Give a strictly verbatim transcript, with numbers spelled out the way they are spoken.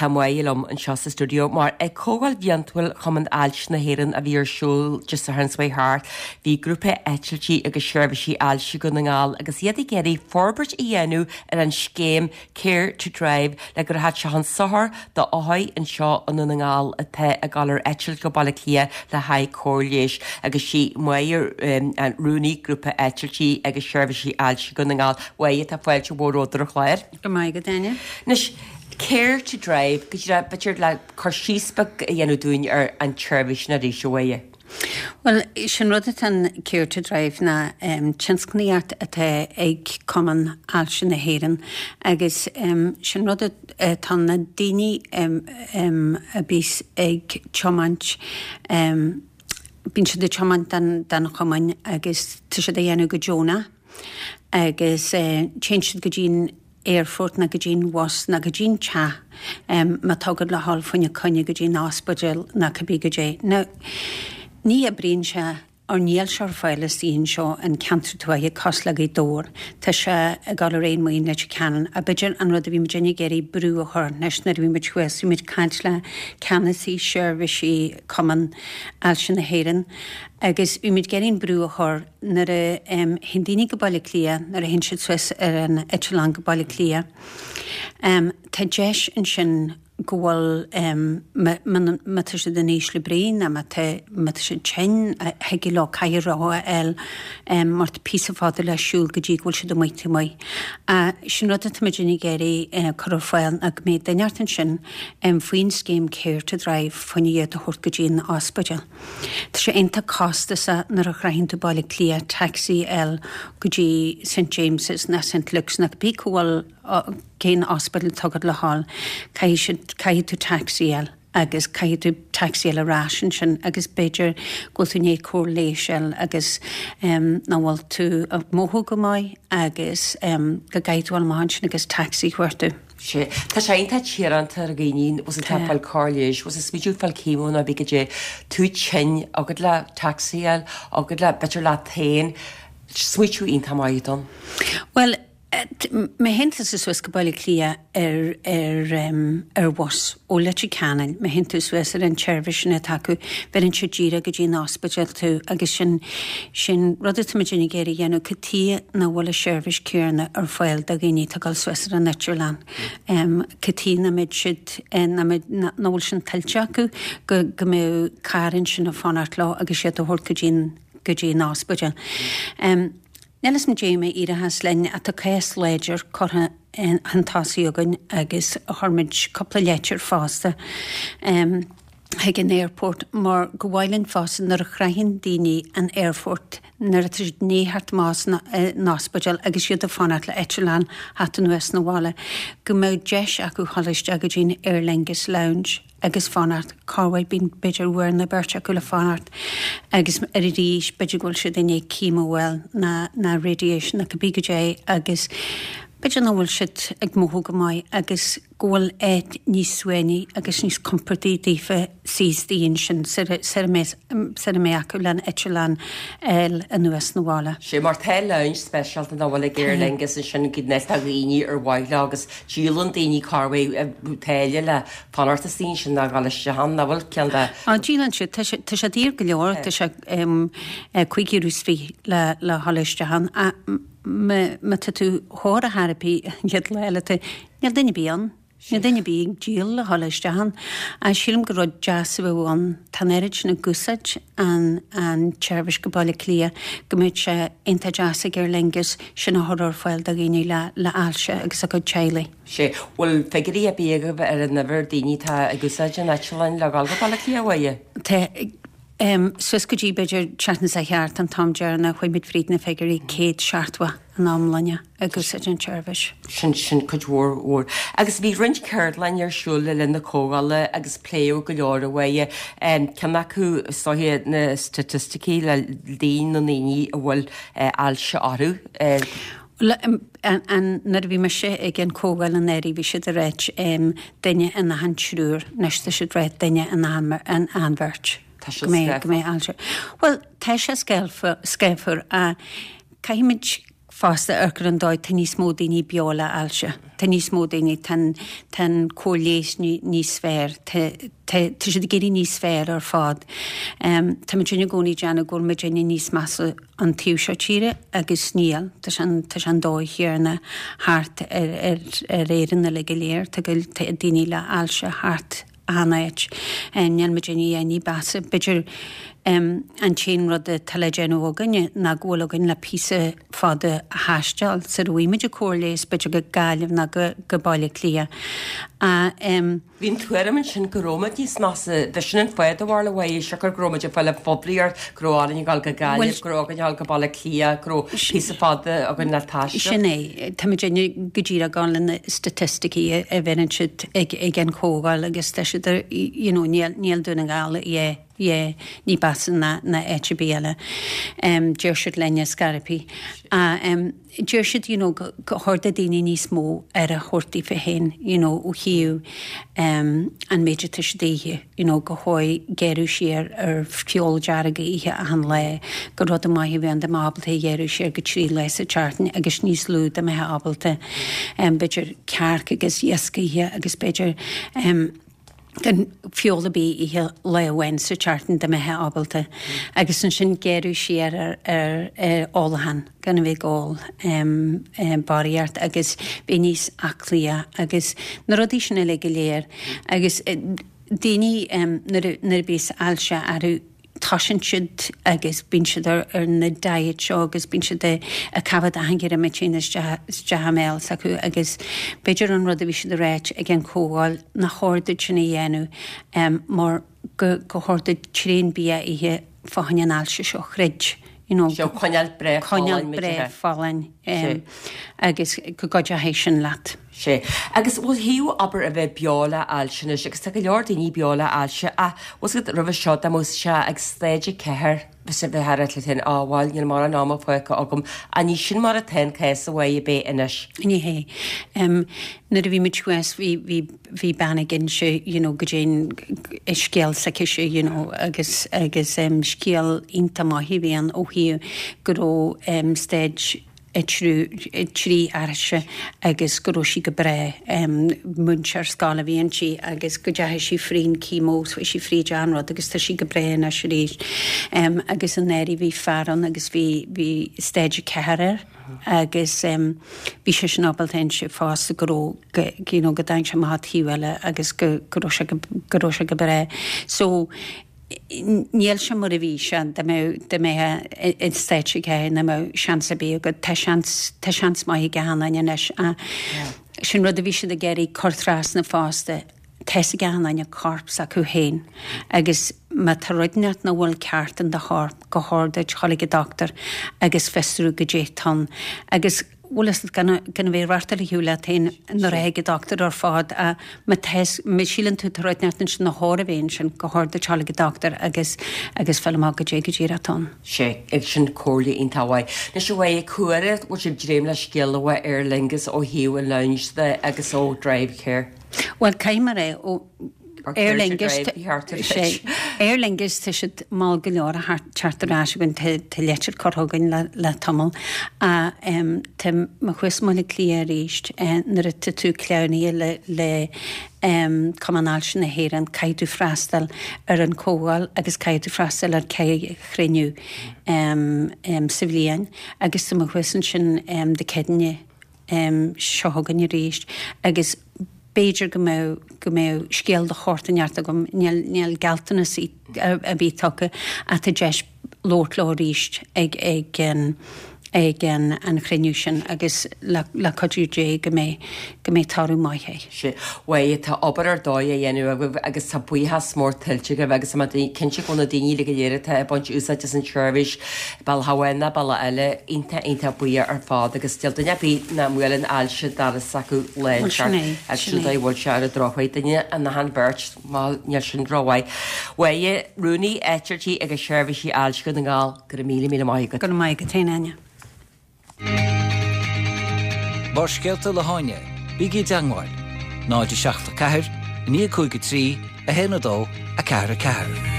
Tá Máire liom anseo sa studio mar ag Comhdháil Bhliantúil Chumann Ailse na hÉireann a bhí ar siúl Dé Sathairn seo thart, bhí grúpa eitiltí agus seirbhísí ailse Dhún na nGall agus iad ag iarraidh forbairt a dhéanamh ar an scéim Care to Drive le go rachadh sé chun sochair do othair anseo i nDún na nGall atá ag dul ar eitilt go Baile Átha Cliath le haghaidh cóir leighis agus sí Máire an rúnaí grúpa eitiltí agus seirbhísí ailse Dhún na nGall. Mháire tá fáilte mhór romhat ar an chlár. Go maith go Áine. Anois Care to Drive, go b'fhéidir le cur síos beag a dhéanamh dúinn ar an tseirbhís sin arís a Mháire. Well sin rud atá an Care to Drive ná um, tionscnaíocht atá ag Cumann Ailse na hÉireann agus um, sin rud atá na daoine um, um, a bhíos ag tiomáint um, bíonn siad ag tiomáint den, den chumann agus tá siad a dhéanamh go deonach agus uh, téann siad go dtí'n aerfort nó go dtí'n bus nó go dtí'n teach um, má tá gá le dhul fá choinne coinne go dtí'n ospidéal nó cibé goidé. Now, ní oibríonn sé ar níl sé ar fáil istigh anseo an ceantar tuaithe cosúil le Gaoth Dobhair Tá sé ag dul ar aon maoin Leitir Ceanainn a b'fhéidir an rud a bhí muid ag iarraidh brú a chur anois nuair a bhí muid thuas bhí muid caint le ceannasaí seirbhísí Cumann Ailse na hÉireann agus bhí muid ag iarraidh brú a chur nuair a um, théann daoine go Baile Átha Cliath nuair a théann siad suas ar an eitleán go Baile Átha Cliath. Um, tá deis ansin go bhfuil um, má tá siad in ísle brí ná má tá siad tinn thig leo cathaoir rotha a fháil um, mar tá píosa fada le siúl go dtí go bhfuil siad amuigh amuigh. Uh, sin rud atá muid ag iarraidh uh, cur ar fáil ná go mbeidh duine ansin um, faoin scéim Care to Drive faoin iad a thabhairt go dtí an ospidéal. Tá sé iontach costasach nuair a shroicheann tú Baile Átha Cliath taxi a fháil go dtí St James's na St Luke's na bí go bhfuil cén ospidéal atá agat le dhul caithfidh tú taxi a fháil agus caithfidh tú taxi a fháil ar ais ansin agus b'fhéidir go bhfuil tú ní cóir lééis agus um, nach bhfuil tú ag mothú go maith agus um, go gcaithfidh tú amach ansin agus taxi chuartú. Sé Tá sé iontach tíoránta ar dhaoine was an fáil cóir leighis, was is smíú fáil chemo ná bí go dé tú tinn agad le taxi a fháil agad le b'fhéidir le tain smaoineamh iontach maith don. Well, Má théann tú suas go Baile Átha Cliath ar ar um, ar bhus ó Leitir Ceanainn, má théann tú suas ar an tseirbhís sin atá acu, bheireann sé díreach go dtí an ospidéal tú agus sin sin rud atá muid ag iarraidh a dhéanamh cad chuige nach bhfuil an tseirbhís céanna ar fáil do dhaoine atá ag dul suas ar an eitleán. Um, cad chuige nach mbeidh siad nach bhfuil sin tuillte acu go go mbeidh carr ansin ag fanacht leo agus siad a thabhairt go dtí go dtí an ospidéal. Um, Níl is déime iarthas linn atá cás láidir curtha chun tosaigh againn agus chuir muid cúpla leitir fosta. Um, chuig an airport mar go bhfuil fosta nuair a shroicheann daoine an airport nuair atá siad ní thart más an ospidéal agus siad ag fanacht le eitleán theacht anuas na bhaile, go mbeidh deis acu dhul isteach go dtí'n Aer Lingus Lounge agus fanacht corruair bíonn b'fhéidir uair nó beirt acu le fanacht agus ar arís b'fhéidir go bhfuil siad i ndiaidh chemo ná ná radiation a cibé goidé agus b'fhéidir nach bhfuil siad ag mothú go maith agus go bhfuil áit níos suaimhní agus níos compordaí daofa suí ansin sar a mbeidh acu le eitleán anuas na bhaile. Sé mar tá lounge speisialta nach bhfuil ag Aer Lingus ansin go neist dhaoine ar mhaith agus díolann daoine corruair táille le fanacht ansin sin ná gáil isteach nach bhfuil ceann de. Á díolann siad tá sé daor go leor tá sé cúig euro is fiche le le dhul isteach má tá tú thóir a therapy iad le tú níl duine bí an. Níl duine bí ag díol le dhul isteach ann. A sílim gur rud deas a bheadh ann tá an oiread sin ag úsáid an an tseirbhís go Baile Átha Cliath go mbeadh sé iontach deas ag Aer Lingus sin a chur ar fáil do dhaoine le le ailse agus a gcuid teaghlaigh. Sé bhfuil figiúirí ar bith agaibh ar an uimhir daoine atá ag úsáid an eitleáin le dhul go Baile Átha Cliath uaidhe? Tá um, suas go dtí b'fhéidir seachtain sa cheart an t-am deireanach chuaigh muid fríd na figiúirí céad seachtó in iomláine ag úsáid an tseirbhís. Sin sin cuid mhór mhór. Agus bhí roinnt ceardlann ar siúl le linn na comhdhála agus pléadh go leor uaidhe ceann acu soithe na staitisticí le líon na ndaoine a bhfuil ailse orthu. Nuair a bhí mise ag an comhdháil anuraidh bhí siad ag ráit duine in achan triúr, anois tá siad ag ráit duine in achan bheirt. Tá sé go mbeidh ailse. Well tá sé scáfar a caithfimid fosta ar an dóigh tá níos mó daoine beo le ailse. Tá níos mó daoine tá an cóir leighis níos fearr, tá siad ag éirí níos fearr ar fad. Tá muid i gcónaí ag déanamh go bhfuil muidinne níos measa an taobh seo tíre agus níl, tá sé an dóigh chéanna thart ar ar Éirinn uilig go léir, tá daoine le ailse thart achan áit. Níl muidinne ní ba mheasa. B'fhéidir an t-aon rud atá le déanamh againne ná go bhfuil againn le píosa fada a thaisteal sara bhfaighimid an cóir leighis b'fhéidir go Gaillimh ná go go Baile Átha Cliath. Bhí an tuairim ansin go raibh muid níos measa, bhí sin an fáth do bharr le bhfaighidh siocair go raibh muid ag fáil an phoiblíocht, go raibh orainn a ghabháil go Gaillimh, go raibh againn a ghabháil go Baile Átha Cliath, go raibh píosa fada againn le taisteal. Sin é, tá muidinne go díreach ag gabháil le na staitisticí a bheireann siad ag ag an chomhdháil agus tá siad you know níl níl Dún na nGall yeah yeah ní ba mheasa ná ná áit ar bith eile. Um, deir siad lenne scaipthe. Uh, um, deir siad you know, go go chóir do daoine níos mó aire a thabhairt daofa féin you know, ó thaobh um, an méid atá siad ag ithe you know, go háirithe gearradh siar ar feoil dearg a ithe achan lá, gur rud maith a bheith dá mbeifeá ábalta gearradh siar go trí lá sa tseachtain agus níos lú dá mbeifeá ábalta um, b'fhéidir cearc agus iasc a ithe agus b'fhéidir um, gan feoil ar bith a ithe lá amháin sa tseachtain dá mbeifeá ábalta. Agus ansin gearradh siar ar, ar, ar ólachán gan a bheith ag ól um, um, barraíocht agus bheith níos aclaí agus na rudaí sin uilig go léir. Agus eh, daoine um, nuair a- nuair a bhíos ailse orthu tosaíonn siad agus bíonn siad ar, ar na diet seo agus bíonn siad ag ag caitheamh achan ghirmitín isteach isteach i mbéal s'acu agus b'fhéidir an rud a bhí siad ag ráit ag an chomhdháil nach chóir duit sin a dhéanamh um, mar go go chóir duit tréan bia a ithe fá choinne an ailse seo a throid. You know, Seo coinneáil breá coinneáil folláin breá muid folláin um, agus go gcuideoidh sin leat. Sé. Agus ó thaobh abair a bheith beo le ailse anois, agus tá go leor daoine beo le ailse a was go roimhe seo dá mbeadh sé ag stage a ceathair bheadh sé bheith thar le tin ábháil níl mórán ama fágtha agam a ní sin mar atá an cás a bheidh bé anois. Ní hé. Um, nuair a bhí muid thuas bhí bhí bhí bean ag inse you know, go dtéin scéal s'aicise you know, agus agus um, scéal iontach maith a bhí ann ó thaobh go raibh um, stage a trí trí uirthi agus go raibh sí go breá um, múinteoir scoile a bhí inti agus go dteachaigh sí fríd chemo bhí sí fríd an rud agus tá sí go breá anois arís. Um, agus an éirí bhí fear ann agus bhí bhí stage ceathair air agus um, bhí sé sin ábalta inse fosta go raibh go you know, go dtáinig sé amach taobh eile agus go go raibh sé go go raibh sé go breá. So níl sé mar a bhí sé dá mbeadh dá mbeadh i stage ceathair nach mbeadh seans ar bith agat tá seans tá seans maith ag achan duine anois sin rud a bhí siad ag iarraidh cur trasna fosta tá a fhios ag achan duine corp s'acu féin agus má tá rud inteacht nach bhfuil ceart in do chorp go chóir duit dul ag an doctor agus fiosrú goidé atá ann agus bhfuil a fhios gan gan a bheith rachta le hiú le féin nuair a ag an doctor ar fad a má má síleann tú tá rud inteacht ansin nach chóir a bheith ansin go chóir duit dul ag an doctor agus agus fáil amach goidé go díreach atá ann. Sé ag sin comhairle iontach mhaith. Anois a bheidh cuaire bhfuil sibh dréim le scéal a Aer Lingus ó thaobh an lounge de agus ó Drive Care. Well caithfidh mé ó Or Aer Care to Lingus Drive, thart ar sé Aer Lingus tá siad mall go leor a teacht ar ais againn tá leitir curtha againn le, le tamall a um, tá mé thuas i mBaile Átha Cliath arís eh, nuair atá tú cleamhnaithe le, le um, Cumann Ailse na hÉireann caithfidh tú freastal ar an chomhdháil agus caithfidh tú freastal ar ceithre chruinniú um, um, sa bhliain agus tá mé thuas ansin um, Dé Céadaoine um, seo chugainn arís agus b'fhéidir go mbeadh go mbeadh scéal de shórt inteacht agam níl níl gealltanas a, a bhí tugtha ach tá deis labhairt leo arís ag ag an ag an, an chruinniú sin agus le, le cuidiú Dé go mbeidh go mbeidh toradh maith é. Sé Bhuel tá obair ar dóigh a dhéanamh agaibh agus tá buíochas mór tuillte agaibh agus tá cinnte go na daoine le go léir atá ag baint úsáid as an tseirbhís bealach amháin nó bealach eile iontach iontach buíoch ar fad agus níl duine ar bith nach mbuaileann ailse doras acu Bhuel, sin é, agus sin sin é. dóigh bhfuil sé ar an drochuair duine an na han beirt má níl sin rómhaith. Bhuel Rúnaí Eitiltí agus Seirbhísí Ailse Dhún na nGall go raibh míle míle maith agat. Go maith go téine. Barrscéalta le hÁine, bígí i dteagmháil, náid seacht a ceathair, naoi cúig a trí, a haon a dó, a ceathair a ceathair.